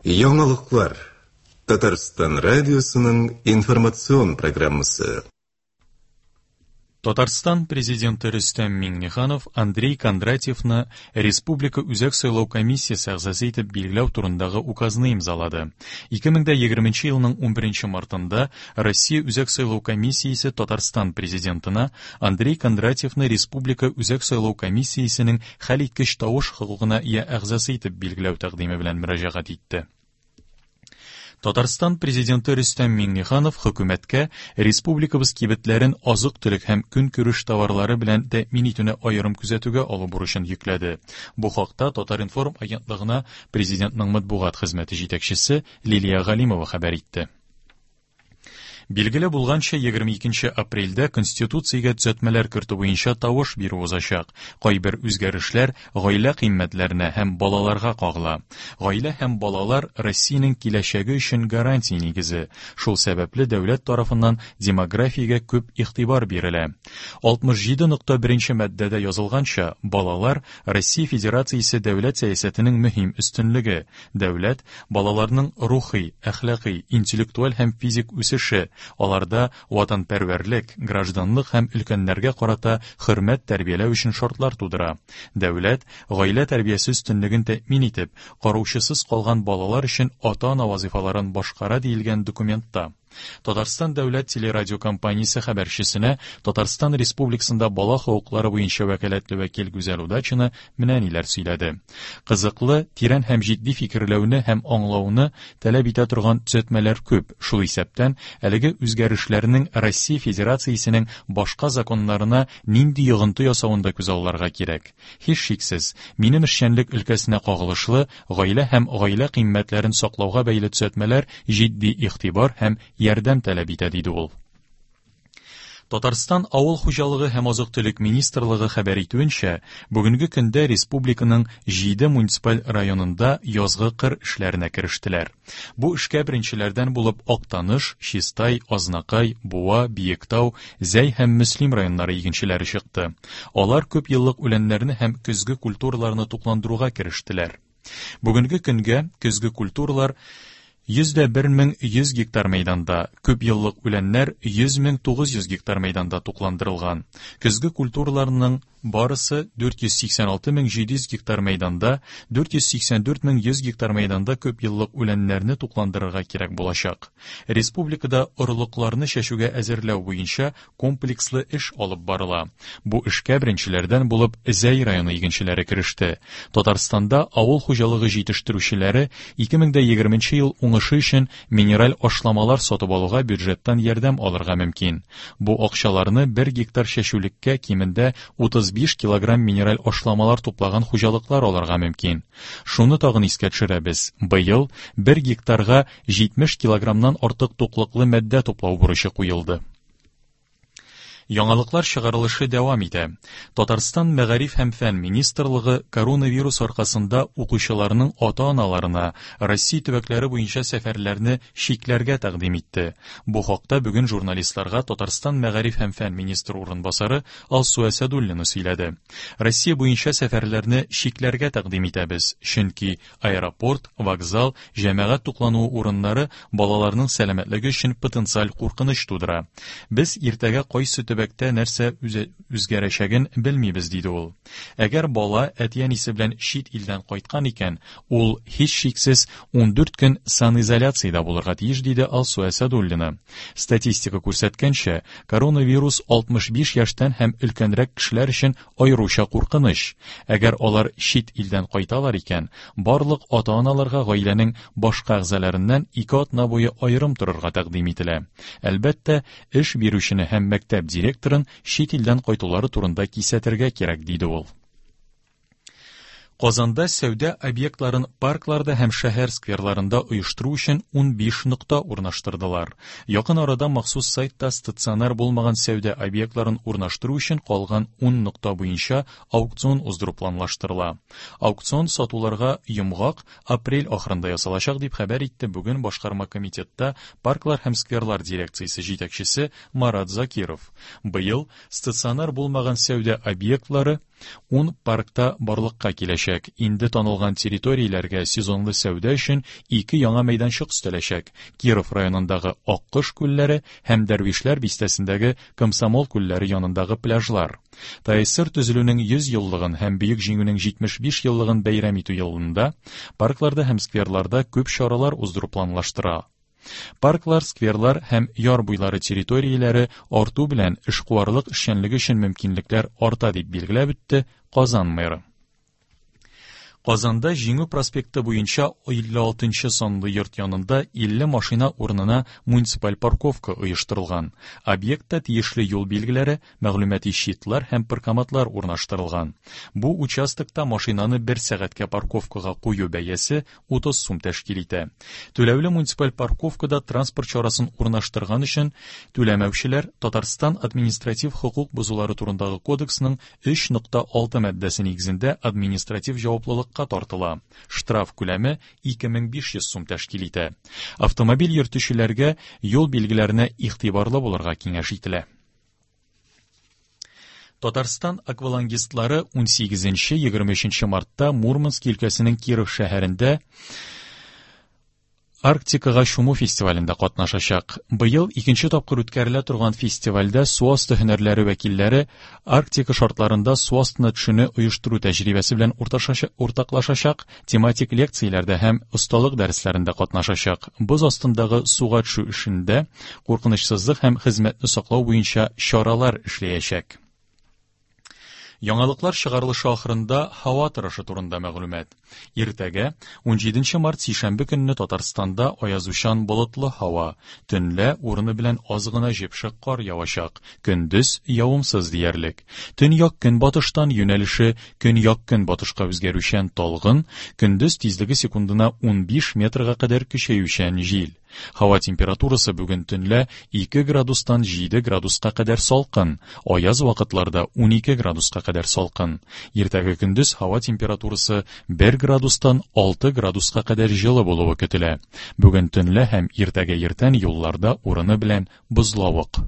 Яңалыклар. Татарстан радиосының информацион программасы. Татарстан Президенты Рөстәм Миңнеханов Андрей Кондратьевны Республика Үзәк сайлау комиссиясе әгъзасы итеп билгеләү турындагы указны имзалады. 2020 елның 11 мартында Россия Үзәк сайлау комиссиясе Татарстан Президентына Андрей Кондратьевны Республика Үзәк сайлау комиссиясенең хәлиткеч тавыш хокукына ия әгъзасы итеп билгеләү тәкъдиме белән мөрәҗәгать итте. Татарстан Президенты Рөстәм Миңнеханов хөкүмәткә республикабыз кибетләрен азык-төлек һәм көнкүреш товарлары белән тәэмин итүне аерым күзәтүгә алу бурычын йөкләде. Бу хакта Татар-информ агентлыгына Президентның матбугат хезмәте җитәкчесе Лилия Галимова хәбәр итте. Билгеле булганча, 22 апрельдә Конституциягә төзәтмәләр кертү буенча тавыш бирү узачак. Кайбер үзгәрешләр гаилә кыйммәтләренә һәм балаларга кагыла. Гаилә һәм балалар Россиянең киләчәге өчен гарантия нигезе. Шул сәбәпле дәүләт тарафыннан демографиягә күп игътибар бирелә. 67.1 маддәдә язылганча, балалар Россия Федерациясе дәүләт сәясәтенең мөһим өстенлеге. Дәүләт балаларның рухи, әхлакый, интеллектуаль һәм физик үсеше, аларда ватанпәрвәрлек, гражданлык һәм өлкәннәргә карата хөрмәт тәрбияләү өчен шартлар тудыра. Дәүләт, гаилә тәрбиясе өстенлеген тәэмин итеп, караучысыз калган балалар өчен ата-ана вазыйфаларын башкара диелгән документта. Татарстан дәүләт телерадиокомпаниясе хәбәрчесенә Татарстан Республикасында бала хокуклары буенча вәкаләтле вәкил Гүзәл Удачина менә ниләр сөйләде. Кызыклы, тирән һәм җитди фикерләүне һәм аңлауны таләп итә торган төзәтмәләр күп, шул исәптән әлеге үзгәрешләрнең Россия Федерациясенең башка законнарына нинди йогынты ясавын да күзалларга кирәк. Һичшиксез, минем эшчәнлек өлкәсенә кагылышлы гаилә һәм гаилә кыйммәтләрен саклауга бәйле төзәтмәләр җитди игътибар һәм ярдәм таләп итә, диде ул. Татарстан Авыл хуҗалыгы һәм азык-төлек министрлыгы хәбәр итүенчә, бүгенге көндә республиканың 7 муниципаль районында язгы кыр эшләренә керештеләр. Бу эшкә беренчеләрдән булып Актаныш, Чистай, Азнакай, Буа, Биектау, Зәй һәм Мөслим районнары игенчеләре чыкты. Алар күп еллык үләннәрне һәм көзге культураларны тукландыруга керештеләр. Бүгенге көнгә көзге культуралар 101 100 гектар мәйданда, күп еллык үләннәр 100 900 гектар мәйданда тукландырылган. Көзге культураларның барысы 486 700 гектар мәйданда, 484 100 гектар мәйданда күп еллык үләннәрне тукландырырга кирәк булачак. Республикада орлыкларны чәчүгә әзерләү буенча комплекслы эш алып барыла. Бу эшкә беренчеләрдән булып Зәй районы игенчеләре кереште. Татарстанда авыл хуҗалыгы җитештерүчеләре 2020 ел уңышы өчен минераль ашламалар сатып алуга бюджеттан ярдәм алырга мөмкин. Бу акчаларны 1 гектар чәчүлеккә кимендә 35 килограмм минераль ашламалар туплаган хуҗалыклар алырга мөмкин. Шуны тагын искә төшерәбез. Быел 1 гектарга 70 килограммнан артык туклыклы матдә туплау бурычы куелды. Яңалыклар чыгарылышы дәвам итә. Татарстан Мәгариф һәм фән министрлыгы коронавирус аркасында укучыларның ата-аналарына Россия төбәкләре буенча сәфәрләрне чикләргә тәкъдим итте. Бу хакта бүген журналистларга Татарстан Мәгариф һәм фән министры урынбасары Алсу Әсәдуллина сөйләде. Россия буенча сәфәрләрне чикләргә тәкъдим итәбез, чөнки аэропорт, вокзал, җәмәгать туклануы урыннары балаларның сәламәтлеге өчен потенциаль куркыныч тудыра. Без иртәгә кайсы төбәктә нәрсә үзгәрәчәген белмибез, диде ул. Әгәр бала әти-әнисе белән чит илдән кайткан икән, ул һичшиксез 14 көн санизоляциядә булырга тиеш, диде Алсу Әсәдуллина. Статистика күрсәткәнчә, коронавирус 65 яшьтән һәм өлкәнрәк кешеләр өчен аеруча куркыныч. Әгәр алар чит илдән кайталар икән, барлык ата-аналарга гаиләнең башка әгъзаларыннан 2 атна буе аерым торырга тәкъдим ителә. Әлбәттә, эш бирүчене һәм мәктәп директорын чит илдән кайтулары турында кисәтергә кирәк, диде ул. Казанда сәүдә объектларын паркларда һәм шәһәр скверларында оештыру өчен 15 нокта урнаштырдылар. Якын арада махсус сайтта стационар булмаган сәүдә объектларын урнаштыру өчен калган 10 нокта буенча аукцион уздыру планлаштырыла. Аукцион сатуларга йомгак апрель ахырында ясалачак, дип хәбәр итте бүген башкарма комитетта парклар һәм скверлар дирекциясе җитәкчесе Марат Закиров. Быел стационар булмаган сәүдә объектлары Ун паркта барлыкка киләчәк. Инде танылган территорияләргә сезонлы сәүдә өчен ике яңа мәйданчык өстәләчәк. Киров районындагы Аккош күлләре һәм Дәрвишләр бистәсендәге Комсомол күлләре янындагы пляжлар. ТАССР төзелүнең 100 еллыгын һәм Бөек Җиңүнең 75 еллыгын бәйрәм итү елында паркларда һәм скверларда күп чаралар уздыру планлаштыра. Парклар, скверлар һәм яр буйлары территорияләре арту белән эшкуарлык эшчәнлеге өчен мөмкинлекләр арта, дип билгеләп үтте Казан мэры. Казанда Җиңү проспекты буенча 56 санлы йорт янында 50 машина урынына муниципаль парковка оештырылган. Объектта тиешле юл билгеләре, мәгълүмати щитлар һәм паркоматлар урнаштырылган. Бу участокта машинаны бер сәгатькә парковкага кую бәясе 30 сум тәшкил итә. Түләүле муниципаль парковкада транспорт чарасын урнаштырган өчен түләмәүчеләр Татарстан административ хокук бозулары турындагы кодексның 3.6 маддәсе нигезендә административ җаваплылыкка тартыла. Штраф күләме 2500 сум тәшкил итә. Автомобиль йөртүчеләргә юл билгеләренә игътибарлы булырга киңәш ителә. Татарстан аквалангистлары 18-23 мартта Мурманск өлкәсенең Киров шәһәрендә Арктикага чуму фестивалендә катнашачак. Быел икенче тапкыр үткәрелә торган фестивальдә су асты һөнәрләре вәкилләре Арктика шартларында су астына төшүне оештыру тәҗрибәсе белән уртаклашачак, тематик лекцияләрдә һәм осталык дәресләрендә катнашачак. Боз астындагы суга төшү эшендә куркынычсызлык һәм хезмәтне саклау буенча чаралар эшләячәк. Яңалыклар чыгарылышы ахырында һава торышы турында мәгълүмат. Иртәгә, 17 март сишәмбе көнне Татарстанда аязучан болытлы һава, төнлә урыны белән аз гына җепшек кар явачак, көндез явымсыз диярлек. Төньяк көнбатыштан юнәлеше көньяк көнбатышка үзгәрүчән талгын, көндез тизлеге секундына 15 метрга кадәр көчәючән җил. Һава температурасы бүген төнлә 2 градустан 7 градуска кадәр салкын, аяз вакытларда 12 градуска кадәр салкын. Иртәге көндез һава температурасы 1 градустан 6 градуска кадәр җылы булуы көтелә. Бүген төнлә һәм иртәгә иртән юлларда урыны белән бозлавык.